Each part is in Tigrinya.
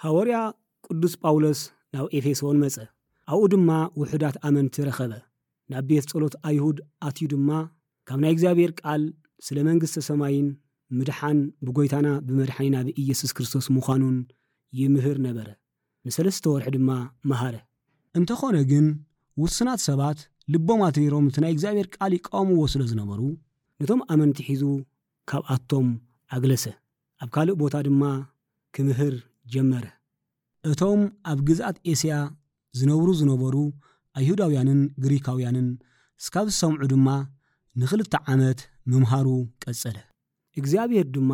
ሃወርያ ቅዱስ ጳውሎስ ናብ ኤፌሶን መጸ። ኣብኡ ድማ ውሑዳት ኣመንቲ ረኸበ። ናብ ቤት ጸሎት ኣይሁድ ኣትዩ ድማ ካብ ናይ እግዚኣብሔር ቃል ስለ መንግስተ ሰማይን ምድሓን ብጎይታና ብመድሓኒና ብኢየሱስ ክርስቶስ ምዃኑን ይምህር ነበረ። ንሰለስተ ወርሒ ድማ መሃረ። እንተኾነ ግን ውሱናት ሰባት ልቦም ኣትሪሮም እቲ ናይ እግዚኣብሔር ቃል ይቃወምዎ ስለ ዝነበሩ ነቶም ኣመንቲ ሒዙ ካብኣቶም ኣግለሰ። ኣብ ካልእ ቦታ ድማ ክምህር ጀመረ። እቶም ኣብ ግዝኣት ኤስያ ዝነብሩ ዝነበሩ ኣይሁዳውያንን ግሪካውያንን እስካብ ዝሰምዑ ድማ ንኽልተ ዓመት ምምሃሩ ቀጸለ። እግዚኣብሔር ድማ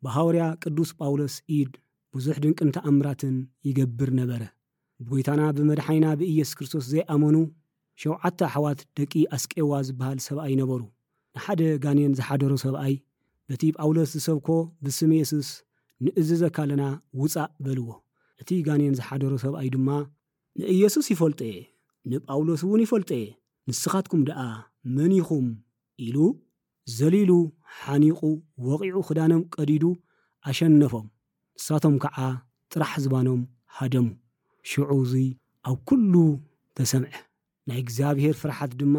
ብሃወርያ ቅዱስ ጳውሎስ ኢድ ብዙሕ ድንቅን ተኣምራትን ይገብር ነበረ። ብጎይታና ብመድሓኒና ብኢየሱስ ክርስቶስ ዘይኣመኑ ሸውዓተ ኣሕዋት ደቂ ኣስቄዋ ዝበሃል ሰብኣይ ነበሩ። ንሓደ ጋኔን ዝሓደሮ ሰብኣይ በቲ ጳውሎስ ዝሰብኮ ብስም የሱስ ንእዝዘካ ኣለና ውጻእ በልዎ። እቲ ጋኔን ዝሓደሮ ሰብኣይ ድማ ንኢየሱስ ይፈልጦ እየ፣ ንጳውሎስ እውን ይፈልጦ እየ፣ ንስኻትኩም ደኣ መን ኢኹም ኢሉ ዘሊሉ ሓኒቑ ወቒዑ ክዳኖም ቀዲዱ ኣሸነፎም። ንሳቶም ከዓ ጥራሕ ዝባኖም ሃደሙ። ሽዑ እዙይ ኣብ ኩሉ ተሰምዐ። ናይ እግዚኣብሔር ፍርሓት ድማ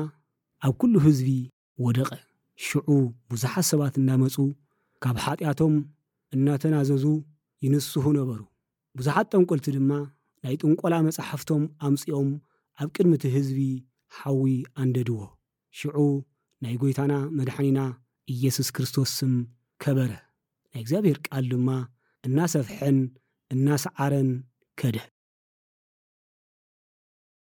ኣብ ኩሉ ህዝቢ ወደቐ። ሽዑ ብዙሓት ሰባት እናመጹ ካብ ሓጢኣቶም እናተናዘዙ ይንስሑ ነበሩ። ብዙሓት ጠንቆልቲ ድማ ናይ ጥንቆላ መጻሕፍቶም ኣምጺኦም ኣብ ቅድሚ እቲ ህዝቢ ሓዊ ኣንደድዎ። ሽዑ ናይ ጎይታና መድሓኒና ኢየሱስ ክርስቶስ ስም ከበረ። ናይ እግዚኣብሔር ቃል ድማ እናሰፍሐን እናሰዓረን ከደ።